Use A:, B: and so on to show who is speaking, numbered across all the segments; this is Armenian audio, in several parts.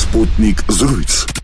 A: Sputnik զրույց։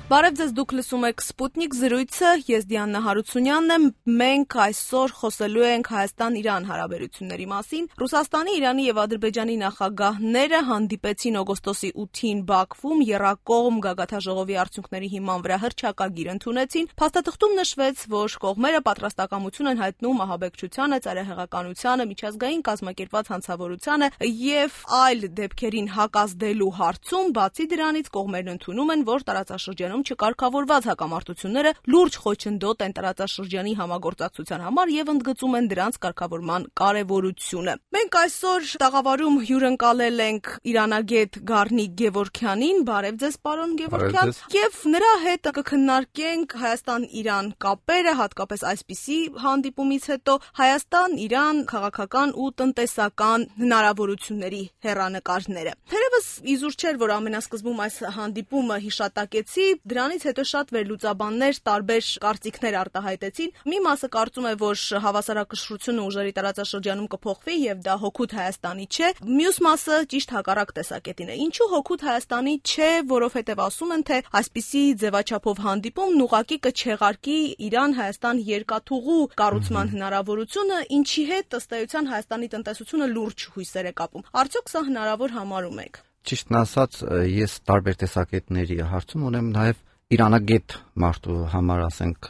B: Բարև ձեզ, դուք լսում եք Sputnik զրույցը, ես Դիանա Հարությունյանն եմ, մենք այսօր խոսելու ենք Հայաստան-Իրան հարաբերությունների մասին։ Ռուսաստանի, Իրանի եւ Ադրբեջանի նախագահները հանդիպեցին օգոստոսի 8-ին Բաքվում, եռակողմ գագաթաժողովի արդյունքների հիման վրա հռչակագիր ընդունեցին։ Փաստաթղթում նշվեց, որ կողմերը պատրաստակամություն են հայտնում ահաբեկչությանը, ծայրահեղականությանը, միջազգային կազմակերպված հանցավորությանը եւ այլ դեպքերին հակազդելու հարցում, բացի դրանից կողմերն ընդունում են, որ տարածաշրջանում չկարգավորված հակամարտությունները լուրջ խոչընդոտ են տարածաշրջանի համագործակցության համար եւ ընդգծում են դրանց կարգավորման կարեւորությունը։ Մենք այսօր տաղավարում հյուրընկալել ենք իրանագետ Գառնիկ Գևորգյանին, բարև ձեզ պարոն Գևորգյան, եւ նրա հետ կքննարկենք Հայաստան-Իրան կապերը, հատկապես այսպիսի հանդիպումից հետո Հայաստան-Իրան քաղաքական ու տնտեսական հնարավորությունների հեռանկարները։ Թերևս իզուր չէր, որ ամենասկզբում այս հանդիպումը հիշատակեցի, դրանից հետո շատ վերլուծաբաններ տարբեր կարծիքներ արտահայտեցին։ Մի մասը կարծում է, որ հավասարակշռությունը ուժերի տարածաշրջանում կփոխվի եւ դա հօգուտ Հայաստանի չէ։ Մյուս մասը ճիշտ հակառակ տեսակետին է։ Ինչու հօգուտ Հայաստանի չէ, որովհետեւ ասում են, թե այսպիսի ձևաչափով հանդիպումն ուղղակի կչեղարկի Իրան-Հայաստան երկաթուղու կառուցման հնարավորությունը, ինչի հետ ըստ էության Հայաստանի տնտեսությունը լուրջ հույսեր է կապում։ Արդյոք սա հնարավոր համարում եք։
C: Ճիշտն ասած, ես տարբեր տեսակետների հարցում ունեմ նաև իրանագետ մարդու համար, ասենք,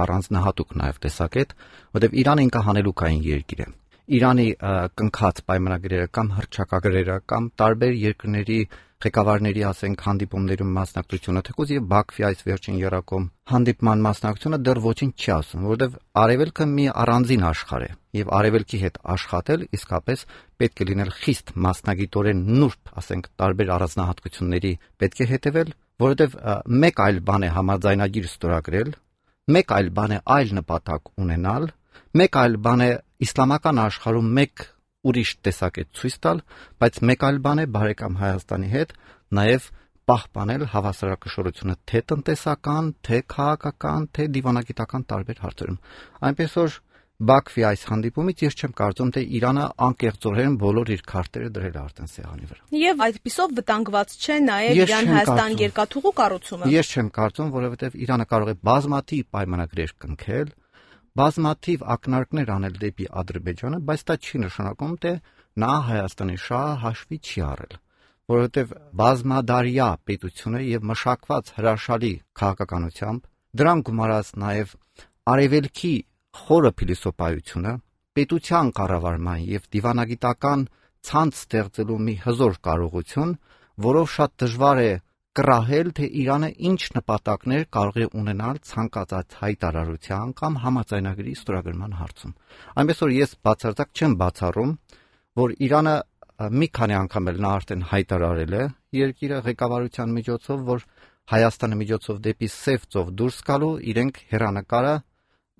C: առանձնահատուկ նաև տեսակետ, որտեղ Իրանը ինքը հանելուկային երկիր է։ Իրանի կնքած պայմանագրերը կամ հռչակագրերը կամ տարբեր երկրների ղեկավարների, ասենք, հանդիպումներում մասնակցությունը, թեկուզ եւ Բաքվի այս վերջին եռակողմ հանդիպման մասնակցությունը դեռ ոչինչ չի ասում, որովհետեւ Արևելքը մի առանձին աշխարհ է եւ Արևելքի հետ աշխատել իսկապես պետք է լինել խիստ մասնագիտորեն նուրբ, ասենք, տարբեր առանձնահատկությունների պետք է հետևել, որովհետեւ մեկ այլ բան է համաձայնագիր ստորագրել, մեկ այլ բան է այլ նպատակ ունենալ, մեկ այլ բան է իսլամական աշխարհում մեկ ուրիշ տեսակետ ցույց տալ, բայց մեկ այլ բան է բարեկամ Հայաստանի հետ նաև պահպանել հավասարակշռությունը թե տնտեսական, թե քաղաքական, թե դիվանագիտական տարբեր հարցերում։ Այնպես որ Բաքվի այս հանդիպումից ես չեմ կարծում, թե Իրանը անկեղծորեն բոլոր իր քարտերը դրել է արդեն սեղանի վրա։
B: Եվ այդպիսով վտանգված չէ նաև Իրան-Հայաստան երկաթուղու կառուցումը։
C: Ես չեմ կարծում, որովհետև Իրանը կարող է բազմաթիվ պայմանագրեր կնքել, բազմաթիվ ակնարկներ անել դեպի Ադրբեջանը, բայց դա չի նշանակում, թե նա Հայաստանի շահը հաշվի չի առել, որովհետև բազմադարյա պետությունը եւ մշակված հրաշալի քաղաքականությամբ դրան գումարած նաեւ արևելքի խորը փիլիսոփայությունը, պետության կառավարման եւ դիվանագիտական ցանց ստեղծելու մի հզոր կարողություն, որով շատ դժվար է կռահել, թե Իրանը ինչ նպատակներ կարող է ունենալ ցանկացած հայտարարության կամ համաձայնագրի ստորագրման հարցում։ Այնպես որ ես բացարձակ չեմ բացառում, որ Իրանը մի քանի անգամ էլ նա արդեն հայտարարել է երկիրը ղեկավարության միջոցով, որ Հայաստանի միջոցով դեպի սև ծով դուրս գալու իրենք հեռանկարը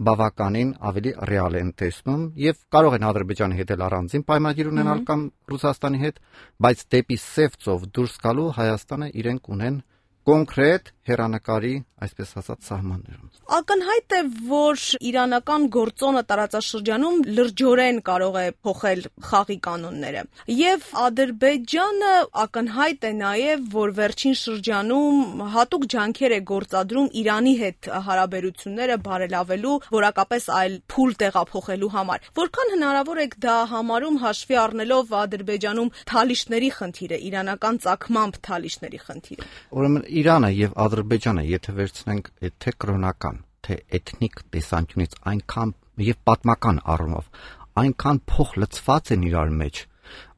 C: բավականին ավելի ռեալ են տեսնում եւ կարող են Ադրբեջանի հետ էլ առանձին պայմանագիր ունենալ կամ Ռուսաստանի հետ, բայց դեպի սև ծով դուրս գալու Հայաստանը իրենք ունեն կոնկրետ հեռանկարի, այսպես ասած, սահմաններում։
B: Ակնհայտ է, որ իրանական գործոնը տարածաշրջանում լրջորեն կարող է փոխել խաղի կանոնները։ Եվ Ադրբեջանը ակնհայտ է նաև, որ վերջին շրջանում հատուկ ջանքեր է գործադրում Իրանի հետ հարաբերությունները բարելավելու, որակապես այլ փուլ տեղափոխելու համար։ Որքան հնարավոր է դա համարում հաշվի առնելով Ադրբեջանում թալիշների խնդիրը, իրանական ծագմամբ թալիշների խնդիրը։
C: Ուրեմն Իրանը եւ Ադրբեջանը, եթե վերցնենք թե կրոնական, թե էթնիկ տեսանկյունից այնքան եւ պատմական առումով, այնքան փոխլցված են իրար մեջ,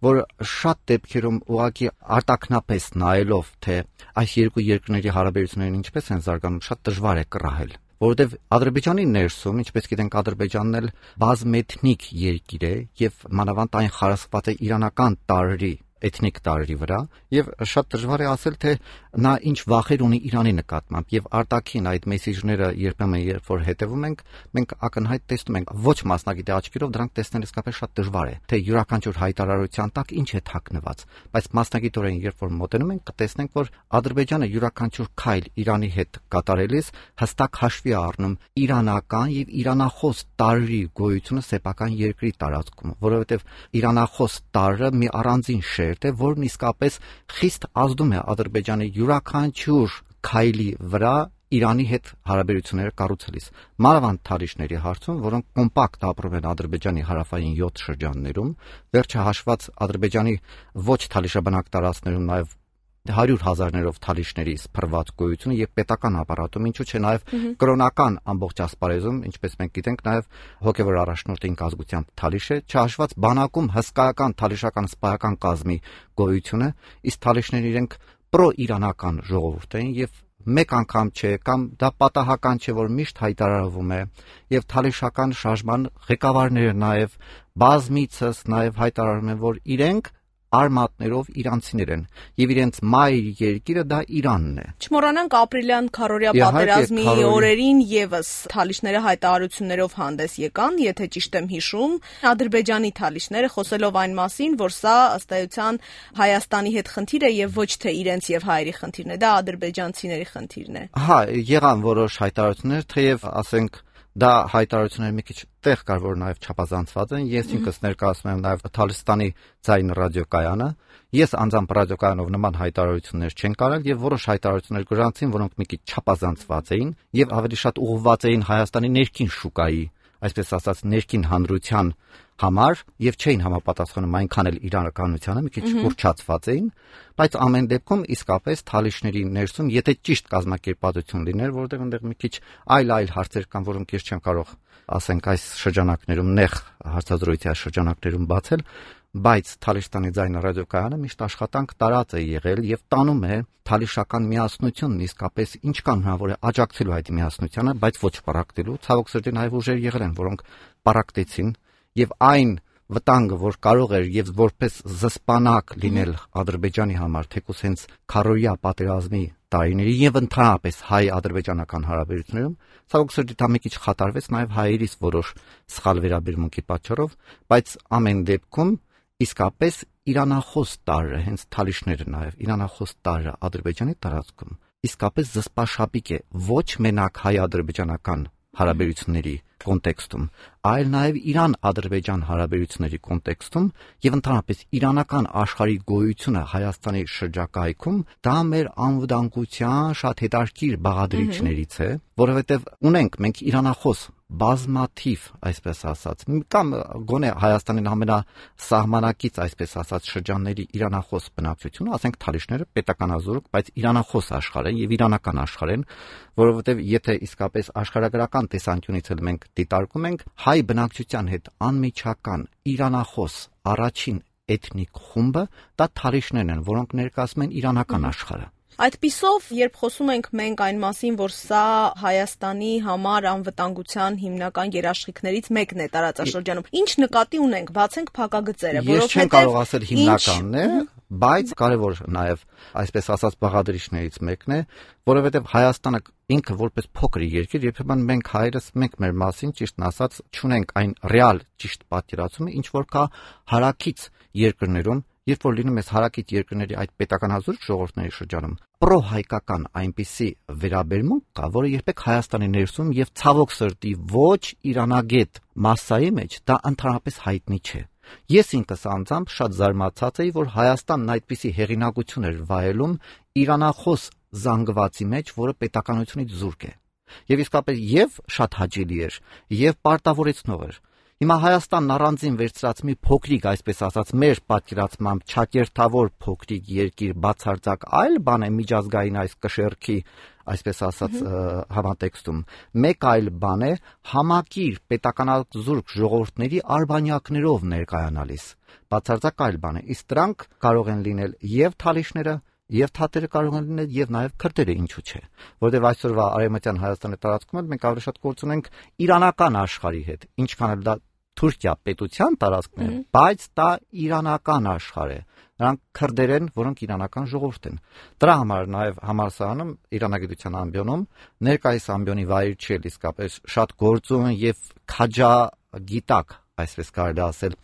C: որ շատ դեպքերում ուղղակի արտակնապես նայելով, թե այս երկու երկրների հարաբերություններն ինչպես են զարգանում, շատ դժվար է կռահել։ Որովհետև Ադրբեջանի ներսում, ինչպես գիտենք, Ադրբեջանն էլ բազմէթնիկ երկիր է եւ մանավանդ այն խարսխված է իրանական տարրերի էթնիկ տարրերի վրա եւ շատ դժվար է ասել, թե նա ինչ վախեր ունի Իրանի նկատմամբ եւ արտաքին այդ մեսեջները երբեմն երբ որ հետևում ենք, մենք ակնհայտ տեսնում ենք ոչ մասնագետի աչքերով դրանք տեսնել իսկապես շատ դժվար է, թե յուրաքանչյուր հայտարարության տակ ինչ է թաքնված, բայց մասնագիտորեն երբ որ մոտենում ենք, կտեսնենք, որ Ադրբեջանը յուրաքանչյուր քայլ Իրանի հետ կատարելիս հստակ հաշվի է առնում իրանական եւ իրանախոս տարրերի գոյությունը սեփական երկրի տարածքում, որովհետեւ իրանախոս տարրը մի առանձին շերտ մեկնաբերել, որն իսկապես խիստ ազդում է Ադրբեջանի յուրաքանչյուր քայլի վրա Իրանի հետ հարաբերությունները կառուցելիս։ Մանավանդ Թալիշների հարցում, որոնք կոմպակտ ապրում են Ադրբեջանի հարավային 7 շրջաններում, վերջը հաշված Ադրբեջանի ոչ թալիշաբնակ տարածքներում նաև 100,000-ներով թալիշների սփռված գոյությունը եւ պետական ապարատում, ինչու՞ չէ նաև կրոնական ամբողջ ասպարեզում, ինչպես մենք գիտենք, նաև հոգևոր առաջնորդի կազգությամբ թալիշ է, չհաշված բանակում հսկայական թալիշական սպայական կազմի գոյությունը, իսկ թալիշները իրենք պրո-իրանական ժողովուրդ են եւ մեկ անգամ չէ կամ դա պատահական չէ, որ միշտ հայտարարվում է եւ թալիշական շարժման ղեկավարները նաև բազմիցս նաև հայտարարում են, որ իրենք արմատներով իրանցիներ են եւ իրենց մայր երկիրը դա Իրանն է։
B: Չմոռանանք ապրիլյան քարորյա պատերազմի օրերին եւս թալիշները հայտարարություններով հանդես եկան, եթե ճիշտ եմ հիշում, Ադրբեջանի թալիշները խոսելով այն մասին, որ սա ըստ էության Հայաստանի հետ խնդիր է եւ ոչ թե իրենց եւ հայերի խնդիրն է, դա ադրբեջանցիների խնդիրն է։
C: Հա, եղան որոշ հայտարարություններ, թեև ասենք դա հայտարարությունները մի քիչ տեղ կար, որ նաև չափազանցված են։ Ես ինքս ներկայացնում եմ նաև Թալիստանի ձայն ռադիոկայանը։ Ես անձամբ ռադիոկայանով նման հայտարարություններ չեն կարել եւ որոշ հայտարարություններ գրանցին, որոնք մի քիչ չափազանցված էին եւ ավելի շատ ուղղված էին Հայաստանի ներքին շուկայի, այսպես ասած, ներքին հանրության համար եւ չէին համապատասխանում այնքան էլ իրականությանը, մի քիչ ուռճացված էին, բայց ամեն դեպքում իսկապես թալիշների ներսում, եթե ճիշտ կազմակերպվածություն լիներ, որտեղ այնտեղ մի քիչ այլ հարցեր կան, որոնք ես չեմ կարող, ասենք, այս շրջանակներում նեղ հարցազրույցի այս շրջանակներում բացել, բայց Թալիստանի ձայնը ռադիոկայանը միշտ աշխատանք տարած է եղել եւ տանում է թալիշական միասնությունն իսկապես ինչքան հնարավոր է աջակցելու այդ միասնությանը, բայց ոչ պարակտելու։ Ցավոք սրտի նաև ուժեր եղել են, որոնք պարակտեցին եւ այն վտանգը, որ կարող էր եւ որպես զսպանակ լինել Ադրբեջանի համար, թեկուզ հենց քարորյա պատերազմի տարիների եւ ընդհանրապես հայ-ադրբեջանական հարաբերություններում, ցավոք սրտի դա մի քիչ խաթարվեց նաեւ հայերից որոշ սխալ վերաբերմունքի պատճառով, բայց ամեն դեպքում իսկապես իրանախոս տարրը, հենց թալիշները նաև իրանախոս տարրը Ադրբեջանի տարածքում իսկապես զսպաշապիկ է ոչ մենակ հայ-ադրբեջանական հարաբերությունների կոնտեքստում, այլ նաև Իրան-Ադրբեջան հարաբերությունների կոնտեքստում եւ ընդհանրապես իրանական աշխարհի գոյությունը Հայաստանի շրջակայքում դա մեր անվտանգության շատ հետաքրքիր բաղադրիչներից է, որովհետեւ ունենք մենք իրանախոս բազմաթիվ, այսպես ասած, կամ գոնե Հայաստանին ամենասահմանակից, այսպես ասած, շրջանների իրանախոս բնակչությունը, ասենք թալիշները պետականազուրկ, բայց իրանախոս աշխարհ են եւ իրանական աշխարհ են, որովհետեւ եթե իսկապես աշխարհագրական տեսանկյունից էլ մենք դիտարկում ենք, հայ բնակչության հետ անմիջական իրանախոս առաջին էթնիկ խումբը դա թալիշներն են, որոնք ներկայացնում են իրանական աշխարհը։
B: Այդպիսով, երբ խոսում ենք մենք այն մասին, որ սա Հայաստանի համար անվտանգության հիմնական երաշխիքներից մեկն է տարածաշրջանում, ինչ նկատի ունենք, բացենք փակագծերը,
C: որովհետև ես չեմ կարող ասել հիմնականն է, բայց կարևոր նաև, այսպես ասած, բաղադրիչներից մեկն է, որովհետև Հայաստանը ինքը որպես փոքր երկիր, երբեմն մենք հայերս մենք մեր մասին ճիշտն ասած չունենք այն ռեալ ճիշտ պատկերացումը, ինչ որ կա հարակից երկրներում, երբ որ լինում ես հարակից երկրների այդ պետականազուրկ ժողովուրդների շրջանում, պրոհայկական այնպիսի վերաբերմունք կա, որը երբեք Հայաստանի ներսում եւ ցավոք սրտի ոչ իրանագետ մասսայի մեջ դա ընդհանրապես հայտնի չէ։ Ես ինքս անձամբ շատ զարմացած էի, որ Հայաստանն այդպիսի հեղինակություն էր վայելում իրանախոս զանգվածի մեջ, որը պետականությունից զուրկ է։ Եվ իսկապես եւ շատ հաճելի էր, եւ պարտավորեցնող էր։ Հիմա Հայաստանն առանձին վերցրած մի փոքրիկ, այսպես ասած, մեր պատկերացմամբ չակերտավոր փոքրիկ երկիր բացարձակ այլ բան է միջազգային այս կշեռքի, այսպես ասած, համատեքստում։ Մեկ այլ բան է համակիր պետականազուրկ ժողովուրդների արբանյակներով ներկայանալիս։ Բացարձակ այլ բան է։ Իսկ դրանք կարող են լինել եւ թալիշները, եւ թաթերը կարող են լինել եւ նաեւ քրդերը, ինչու՞ չէ, որովհետեւ այսօրվա արևմտյան Հայաստանի տարածքում մենք ավելի շատ գործ ունենք իրանական աշխարհի հետ, ինչքան էլ դա Թուրքիա պետության տարածքն է, բայց դա իրանական աշխարհ է։ Նրանք քրդեր են, որոնք իրանական ժողովուրդ են։ Դրա համար նաեւ համալսարանում իրանագիտության ամբիոնում ներկայիս ամբիոնի վայր չէ, իսկապես շատ գործուն եւ քաջագիտակ, այսպես կարելի ասել,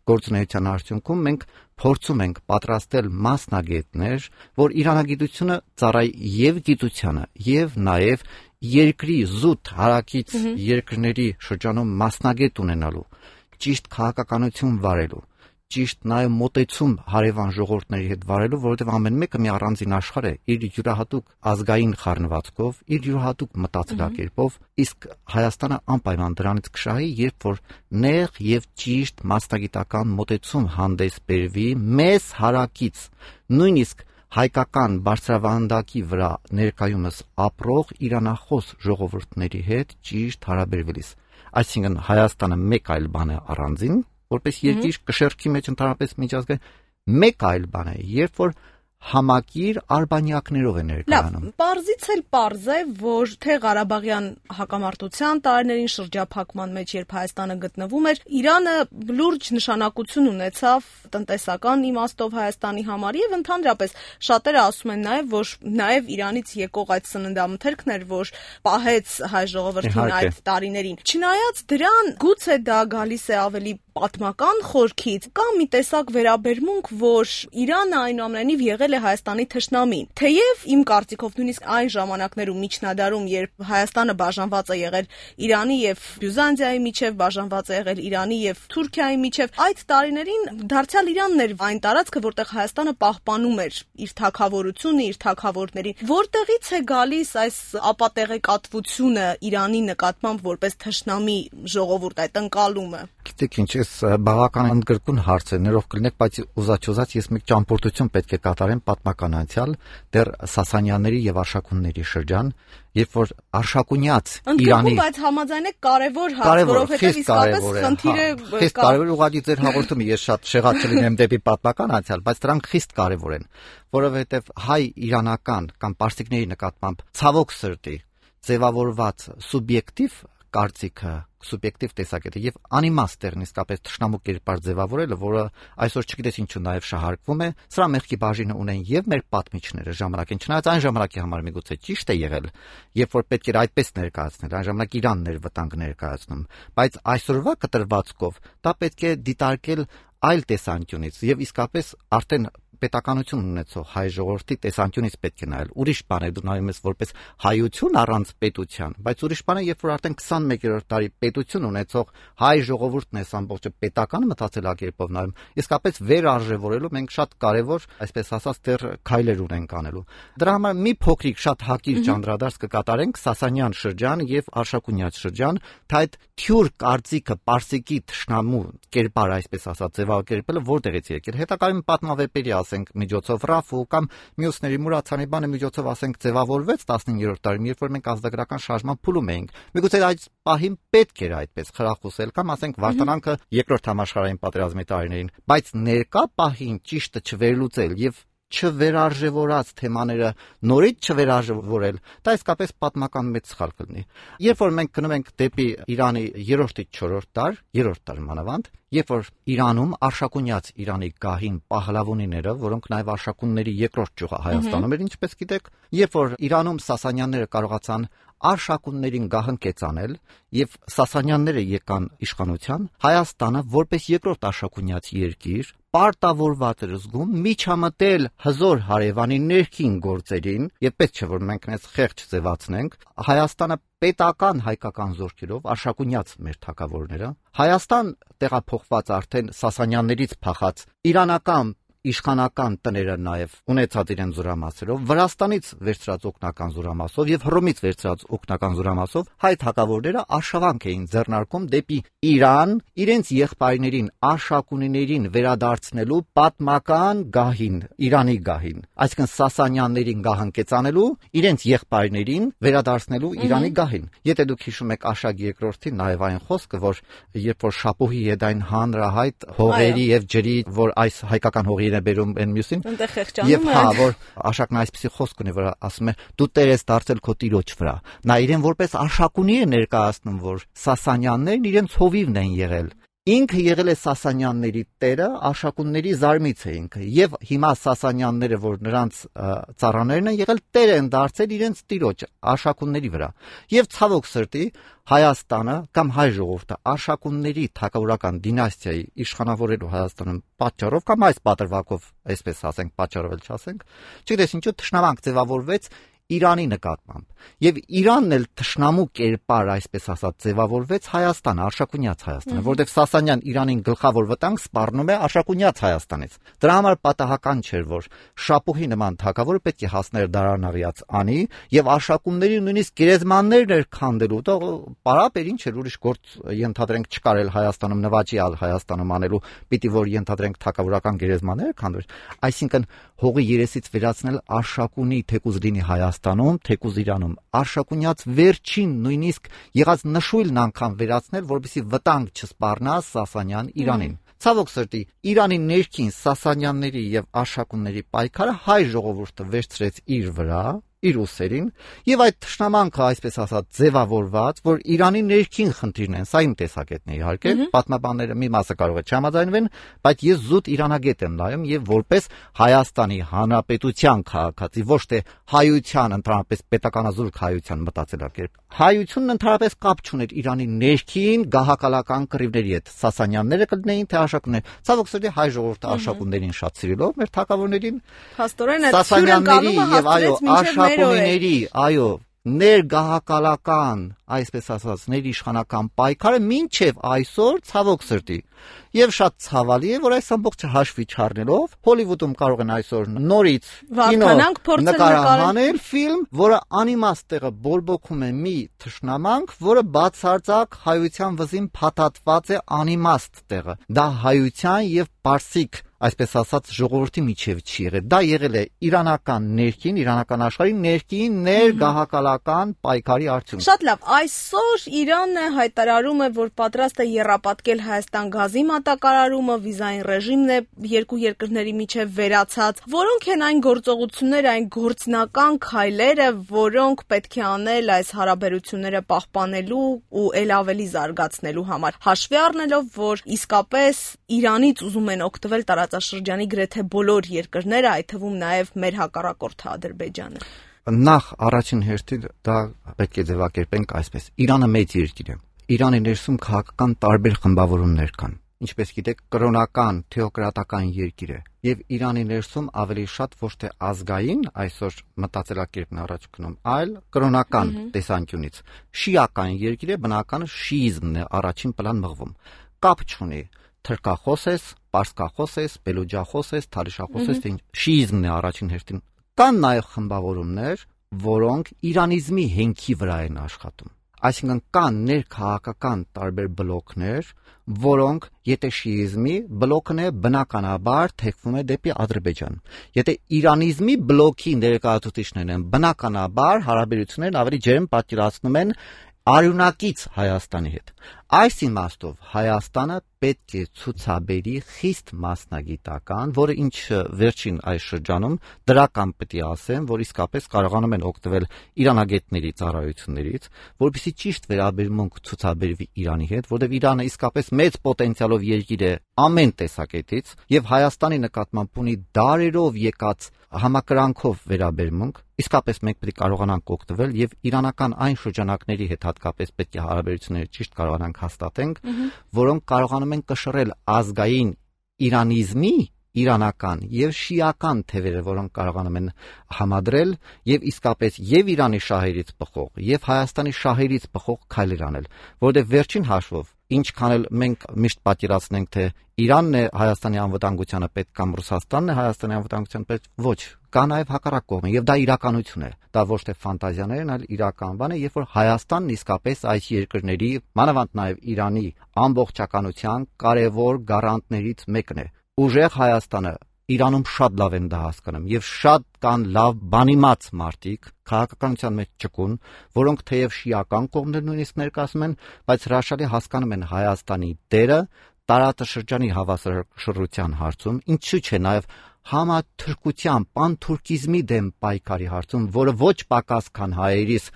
C: գործունեության արդյունքում մենք փորձում ենք պատրաստել մասնագետներ, որ իրանագիտությունը ծառայի եւ գիտությանը եւ նաեւ երկրի զուտ հարակից երկրների շրջանում մասնագետ ունենալու, ճիշտ քաղաքականություն վարելու, ճիշտ նաև մոտեցում հարևան ժողովուրդների հետ վարելու, որովհետև ամեն մեկը մի առանձին աշխարհ է, իր յուրահատուկ ազգային խառնվածքով, իր յուրահատուկ մտածելակերպով, իսկ Հայաստանը անպայման դրանից կշահի, երբ որ նեղ եւ ճիշտ մասնագիտական մոտեցում հանդես բերվի մեզ հարակից, նույնիսկ հայկական բարձրավանդակի վրա ներկայումս ապրող իրանախոս ժողովուրդների հետ ճիշտ հարաբերվելիս։ Այսինքն Հայաստանը մեկ այլ բան է առանձին, որպես երկիր կշեռքի մեջ ընդհանրապես միջազգային, մեկ այլ բան է, երբ որ համակիր արբանյակներով է ներկայանում։
B: Լավ, պարզից էլ պարզ է, որ թե Ղարաբաղյան հակամարտության տարիներին շրջափակման մեջ, երբ Հայաստանը գտնվում էր, Իրանը լուրջ նշանակություն ունեցավ տնտեսական իմաստով Հայաստանի համար եւ ընդհանրապես շատերը ասում են նաեւ, որ նաեւ Իրանից եկող այդ սննդամթերքն էր, որ պահեց հայ ժողովրդին այդ տարիներին։ Չնայած դրան, գուցե դա գալիս է ավելի պատմական խորքից, կա մի տեսակ վերաբերմունք, որ Իրանը այնուամենայնիվ եղել է Հայաստանի թշնամին։ Թեև իմ կարծիքով նույնիսկ այն ժամանակներում միջնադարում, երբ Հայաստանը բաժանված է եղել Իրանի եւ Բյուզանդիայի միջև, բաժանված է եղել Իրանի եւ Թուրքիայի միջև, այդ տարիներին դարձյալ Իրանն էր այն տարածքը, որտեղ Հայաստանը պահպանում էր իր թագավորությունը, իր թագավորներին։ Որտեղից է գալիս այս ապատեղեկատվությունը Իրանի նկատմամբ որպես թշնամի ժողովուրդ, այդ ընկալումը։
C: Գիտեք ինչ, այս բավական ընդգրկուն հարց է, ներող կլինեք, բայց ուզած ես մի ճամփորդություն պետք է կատարեմ պատմական անցյալ, դեռ Սասանյանների եւ Արշակունների շրջան, երբ որ Արշակունյաց Իրանի,
B: բայց համաձայն եք կարևոր հարց, որովհետեւ իսկապես խնդիրը
C: խիստ կարևոր, ուղղակի ձեր հաղորդումը ես շատ շեղած չլինեմ դեպի պատմական անցյալ, բայց դրանք խիստ կարևոր են, որովհետեւ հայ-իրանական կամ պարսիկների նկատմամբ ցավոք սրտի ձևավորված սուբյեկտիվ կարծիքը, սուբյեկտիվ տեսակետը եւ անիմաստերն իսկապես թշնամու կերպար ձևավորելը, որը այսօր չգիտես ինչու նաեւ շահարկվում է, սրա մեղքի բաժինը ունեն եւ մեր պատմիչները ժամանակին, չնայած այն ժամանակի համար միգուցե ճիշտ է եղել, երբ որ պետք էր այդպես ներկայացնել, այն ժամանակ Իրանն էր վտանգ ներկայացնում, բայց այսօրվա կտրվածքով դա պետք է դիտարկել այլ տեսանկյունից եւ իսկապես արդեն պետականություն ունեցող հայ ժողովրդի տեսանկյունից պետք է նայել։ Ուրիշ բան է դու նայում ես որպես հայություն առանց պետության, բայց ուրիշ բան է, երբ որ արդեն 21-րդ դարի պետություն ունեցող հայ ժողովուրդն է ամբողջը պետական մտածելակերպով նայում, իսկապես վերարժևորելու մենք շատ կարևոր, այսպես ասած, դեռ քայլեր ունենք անելու։ Դրա համար մի փոքրիկ շատ հակիր անդրադարձ կկատարենք Սասանյան շրջան եւ Արշակունյաց շրջան, թե այդ թյուր կարծիքը պարսիկի թշնամու կերպար, այսպես ասած, ձևակերպելը որտեղից եկել։ Հետագայում պատմավեպերի ասենք միջոցով Ռաֆու կամ մյուսների Մուրացանի բանը միջոցով ասենք ձևավորվեց 15-րդ դարում, երբ որ մենք ազգագրական շարժման փուլում էինք։ Միգուցե այդ պահին պետք էր այդպես խրախուսել կամ ասենք Վարդանանքը երկրորդ համաշխարհային պատերազմի տարիներին, բայց ներկա պահին ճիշտը չվերլուծել եւ չվերարժևորած թեմաները նորից չվերարժևորել, դա իսկապես պատմական մեծ սխալ կլինի։ Երբ որ մենք գնում ենք դեպի Իրանի 3-ից 4-րդ դար, 3-րդ դար մանավանդ, երբ որ Իրանում Արշակունյաց Իրանի գահին Պահլավոնիները, որոնք նաև Արշակունների երկրորդ ճյուղը Հայաստանում էր, ինչպես գիտեք, երբ որ Իրանում Սասանյանները կարողացան Արշակուններին գահընկեցանել եւ Սասանյանները եկան իշխանության, Հայաստանը որպես երկրորդ Արշակունյաց երկիր պարտավորված էր զգում միջամտել հզոր հարևանի ներքին գործերին եւ պետք չէ որ մենք այս խեղճ ձևացնենք Հայաստանը պետական հայկական զորքերով Արշակունյաց մեր թագավորները Հայաստան տեղափոխված արդեն Սասանյաններից փախած իրանական իշխանական տները նաև ունեցած իրեն զորամասերով, Վրաստանից վերցրած օգնական զորամասով եւ Հռոմից վերցրած օգնական զորամասով հայ թագավորները արշավանք էին ձեռնարկում դեպի Իրան, իրենց եղբայրներին Արշակունիներին վերադարձնելու պատմական գահին, Իրանի գահին, այսինքն Սասանյաններին գահընկեցանելու, իրենց եղբայրներին վերադարձնելու Իրանի գահին։ Եթե դուք հիշում եք Աշակ II-ի նաև այն խոսքը, որ երբ որ Շապուհի հետ այն հանրահայտ հողերի եւ ջրի, որ այս հայկական հողի բերում են մյուսին եւ որ Աշակն այսպեսի խոսք ունի որ ասում է դու տեր ես դարձել քո տիրոջ վրա նա իրեն որպես Արշակունի է ներկայացնում որ Սասանյաններն իրենց հովիվն են եղել ինքը եղել է Սասանյանների տերը Արշակունների զարմից է ինքը եւ հիմա Սասանյանները որ նրանց ծառաներն են եղել տեր են դարձել իրենց տիրոջ Արշակունների վրա եւ ցավոք սրտի Հայաստանը կամ հայ ժողովուրդը Արշակունների թագավորական դինաստիայի իշխանավորելու Հայաստանում պատճառով կամ այս պատրվակով այսպես ասենք պատճառով էլ չասենք չգիտես ինչու թշնամանք ձևավորվեց Իրանի նկատմամբ։ Եվ Իրանն էլ թշնամու կերպար, այսպես ասած, ձևավորվեց Հայաստանը, Արշակունյաց Հայաստանը, որովհետև Սասանյան Իրանին գլխավոր վտանգ սպառնում է Արշակունյաց Հայաստանից։ Դրա համար պատահական չէր, որ շապուհի նման թագավորը պետք է հասներ դարանաղյաց անի եւ արշակումների նույնիսկ գերեզմաններն էր քանդելու, դա պարապ էր, ինչ էր, ուրիշ գործ ենթադրենք չկարել Հայաստանում, նվաճյալ Հայաստանում անելու, պիտի որ ենթադրենք թագավորական գերեզմաններ քանդվեր, այսինքն հողի երեսից վերացնել Արշակունի թեկուզ լինի Հայաստանում, թեկուզ Իրանում, Արշակունյաց վերջին նույնիսկ եղած նշույլն անգամ վերացնել, որպեսզի վտանգ չսպառնա Սասանյան Իրանին։ Ցավոք սրտի, Իրանի ներքին Սասանյանների եւ Արշակունների պայքարը հայ ժողովուրդը վերցրեց իր վրա, իր ուսերին, եւ այդ թշնամանքը, այսպես ասած, ձևավորված, որ Իրանի ներքին խնդիրն են, սա իմ տեսակետն է իհարկե, պատմաբանները մի մասը կարող է չհամաձայնվեն, բայց ես զուտ իրանագետ եմ նայում եւ որպես Հայաստանի Հանրապետության քաղաքացի, ոչ թե հայության, ընդհանրապես պետականազուրկ հայության մտածելակերպ։ Հայությունն ընդհանրապես կապ չուներ Իրանի ներքին գահակալական կռիվների հետ, Սասանյանները կլինեին թե Արշակունները։ Ցավոք սրտի հայ ժողովուրդը Արշակուններին շատ սիրելով, մեր թագավորներին, Սասանյանների եւ Արշակունիների, այո, ներգահակալական, այսպես ասած, ներիշխանական պայքարը մինչև այսօր ցավոք սրտի։ Եվ շատ ցավալի է, որ այս ամբողջը հաշվի չառնելով Հոլիվուդում կարող են այսօր նորից կինո նկարահանել ֆիլմ, որը անիմաստ տեղը բորբոքում է մի թշնամանք, որը բացարձակ հայության վզին փաթաթված է անիմաստ տեղը։ Դա հայության եւ պարսիկ, այսպես ասած, ժողովրդի միջև չի եղել։ Դա եղել է իրանական ներքին, իրանական աշխարհի ներքին ներգահակալական պայքարի արդյունք։
B: Շատ լավ, այսօր Իրանը հայտարարում է, որ պատրաստ է եռապատկել Հայաստան գազի մատակարարումը, վիզային ռեժիմն է երկու երկրների միջև վերացած։ Որոնք են այն գործողությունները, այն գործնական քայլերը, որոնք պետք է անել այս հարաբերությունները պահպանելու ու ել ավելի զարգացնելու համար, հաշվի առնելով, որ իսկապես Իրանից ուզում են օգտվել տարածաշրջանի գրեթե բոլոր երկրները, այդ թվում նաև մեր հակառակորդը Ադրբեջանը։
C: Նախ առաջին հերթին դա պետք է ձևակերպենք այսպես. Իրանը մեծ երկիր է։ Իրանի ներսում քաղաքական տարբեր խմբավորումներ կան։ Ինչպես գիտեք, կրոնական, թեոկրատական երկիր է, եւ Իրանի ներսում ավելի շատ ոչ թե ազգային այսօր մտածելակերպն առաջ գնում, այլ կրոնական տեսանկյունից շիական երկիր է, բնական շիիզմն է առաջին պլան մղվում։ Կապ չունի թրքախոս ես, պարսկախոս ես, բելուջախոս ես, թալիշախոս ես, շիիզմն է առաջին հերթին։ Կան նաև խմբավորումներ, որոնք իրանիզմի հենքի վրա են աշխատում։ Այսինքն կան ներքաղաքական տարբեր բլոկներ, որոնք եթե շիիզմի բլոկն է, բնականաբար թեքվում է դեպի Ադրբեջան։ Եթե իրանիզմի բլոկի ներկայացուցիչներն են, բնականաբար հարաբերություններն ավելի ջերմ պատկերացնում են արյունակից Հայաստանի հետ։ Այս իմաստով Հայաստանը պետք է ցուցաբերի խիստ մասնագիտական, որը ինչ վերջին այս շրջանում դրական պետք է ասեմ, որ իսկապես կարողանում են օգտվել իրանագետների ծառայություններից, որպեսզի ճիշտ վերաբերմունք ցուցաբերվի Իրանի հետ, որովհետև Իրանը իսկապես մեծ պոտենցիալով երկիր է ամեն տեսակետից եւ Հայաստանի նկատմամբ ունի դարերով եկած համակրանքով վերաբերմունք, իսկապես մենք պետք է կարողանանք օգտվել եւ իրանական այն շրջանակների հետ հատկապես պետք է հարաբերությունները ճիշտ կարողանանք հաստատենք, որոնք կարողանում են կշռել ազգային իրանիզմի, իրանական եւ շիական թևերը, որոնք կարողանում են համադրել եւ իսկապես եւ Իրանի շահերից բխող եւ Հայաստանի շահերից բխող քայլեր անել, որովհետեւ վերջին հաշվով ինչքան էլ մենք միշտ պատկերացնենք, թե Իրանն է Հայաստանի անվտանգությանը պետք կամ Ռուսաստանն է Հայաստանի անվտանգությանը պետք, ոչ, կա նաև հակառակ կողմը, եւ դա իրականություն է։ Դա ոչ թե ֆանտազիաներ են, այլ իրական բան է, երբ որ Հայաստանն իսկապես այս երկրների, մանավանդ նաև Իրանի ամբողջականության կարևոր գարանտներից մեկն է։ Ուժեղ Հայաստանը Իրանում շատ լավ են դա հասկանում եւ շատ կան լավ բանիմաց մարդիկ քաղաքականության մեջ ճկուն, որոնք թեև շիական կողմներ նույնիսկ ներկայացնում են, բայց հրաշալի հասկանում են Հայաստանի դերը տարածաշրջանի հավասարշռության հարցում, ինչու՞ չէ նաեւ համաթուրքության, պանթուրքիզմի դեմ պայքարի հարցում, որը ոչ պակաս քան հայերիս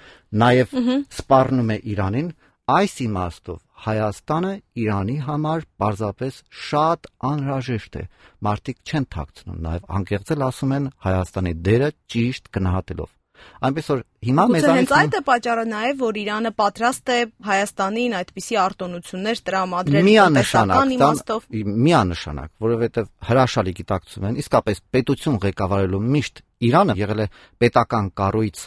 C: նաեւ սպառնում է Իրանին։ Այս իմաստով Հայաստանը Իրանի համար պարզապես շատ անհրաժեշտ է։ Մարդիկ չեն թաքցնում, նաև անկեղծել ասում են Հայաստանի դերը ճիշտ գնահատելով։ Այնպես որ հիմա
B: մեզանից այդ է պատճառը նաև, որ Իրանը պատրաստ է Հայաստանին այդպիսի արտոնություններ տրամադրել տնտեսական իմաստով։
C: Միանշանակ, որովհետև հրաշալի գիտակցում են, իսկապես պետություն ղեկավարելու միշտ Իրանը եղել է պետական կառույց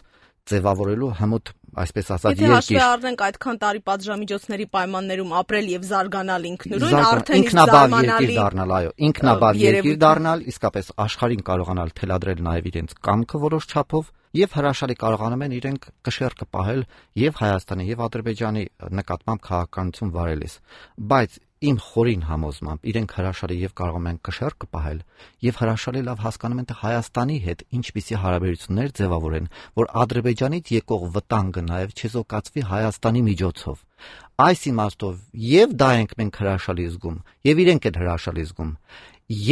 C: ձևավորելու հմուտ, այսպես ասած,
B: Եթե հաշվի առնենք այդքան տարի պատժամիջոցների պայմաններում ապրել եւ զարգանալ ինքնուրույն, արդեն
C: ինքնաբավ երկիր դառնալ, այո, ինքնաբավ երկիր դառնալ, իսկապես աշխարհին կարողանալ թելադրել նաեւ իրենց կամքը որոշ չափով եւ հրաշալի կարողանում են իրենք կշեռքը պահել եւ Հայաստանի եւ Ադրբեջանի նկատմամբ քաղաքականություն վարելիս, բայց իմ խորին համոզմամբ իրենք հրաշալի եւ կարողանում են կշեռքը պահել եւ հրաշալի լավ հասկանում են թե Հայաստանի հետ ինչպիսի հարաբերություններ ձևավորեն, որ Ադրբեջանից եկող վտանգը նաեւ չեզոքացվի Հայաստանի միջոցով։ Այս իմաստով եւ դա ենք մենք հրաշալի զգում եւ իրենք են հրաշալի զգում։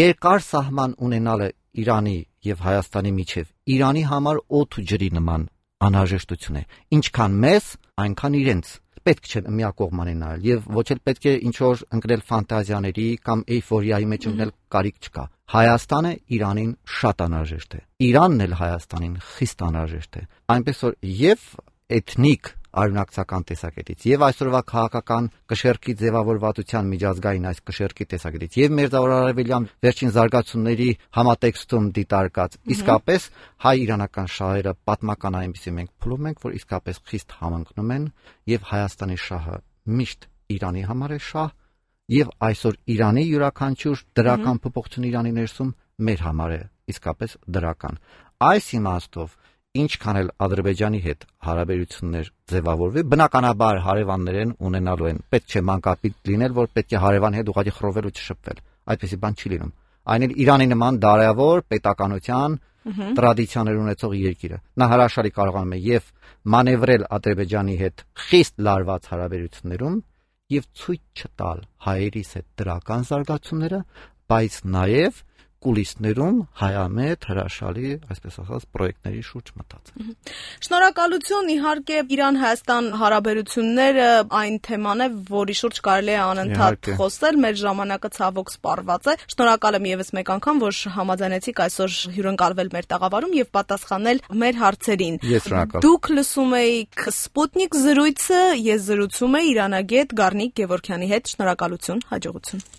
C: Երկար սահման ունենալը Իրանի եւ Հայաստանի միջև Իրանի համար օդ ու ջրի նման անհրաժեշտություն է, ինչքան մեզ, այնքան իրենց։ Պետք չէ միակողմանի նայել եւ ոչ էլ պետք է ինչ որ ընկնել ֆանտազիաների կամ էյֆորիայի մեջ ընկնել կարիք չկա։ Հայաստանը Իրանին շատ անհրաժեշտ է։ Իրանն էլ Հայաստանին խիստ անհրաժեշտ է։ Այնպես որ եւ էթնիկ արյունակցական տեսակետից եւ այսօրվա քաղաքական կշեռքի ձևավորվածության միջազգային այս կշեռքի տեսակետից եւ Մերձարևելյան վերջին զարգացումների համատեքստում դիտարկած իսկապես հայ-իրանական շահերը պատմական այնպեսի մենք փուլում ենք, որ իսկապես խիստ համընկնում են եւ Հայաստանի շահը միշտ Իրանի համար է շահ եւ այսօր Իրանի յուրաքանչյուր դրական փոփոխություն Իրանի ներսում մեր համար է իսկապես դրական։ Այս իմաստով ինչքան էլ Ադրբեջանի հետ հարաբերություններ ձևավորվի, բնականաբար հարևաններ են ունենալու են։ Պետք չէ մանկապիտ լինել, որ պետք է հարևանի հետ ուղղակի խռովել ու չշփվել։ Այդպեսի բան չի լինում։ Այն էլ Իրանի նման դարավոր պետականության տրադիցիաներ ունեցող երկիրը։ Նա հրաշալի կարողանում է եւ մանևրել Ադրբեջանի հետ խիստ լարված հարաբերություններում եւ ցույց չտալ հայերիս հետ դրական զարգացումները, բայց նաեւ կուլիսներում հայամետ հրաշալի, այսպես ասած, պրոյեկտների շուրջ մտածել։
B: Շնորհակալություն, իհարկե Իրան-Հայաստան հարաբերությունները այն թեման է, որի շուրջ կարելի է անընդհատ խոսել, մեր ժամանակը ցավոք սպառված է։ Շնորհակալ եմ եւս մեկ անգամ, որ համաձայնեցիք այսօր հյուրընկալվել մեր տաղավարում եւ պատասխանել մեր հարցերին։ Դուք լսում եք Սպուտնիկ զրույցը, ես զրուցում եմ իրանագետ Գառնիկ Գևորգյանի հետ։ Շնորհակալություն, հաջողություն։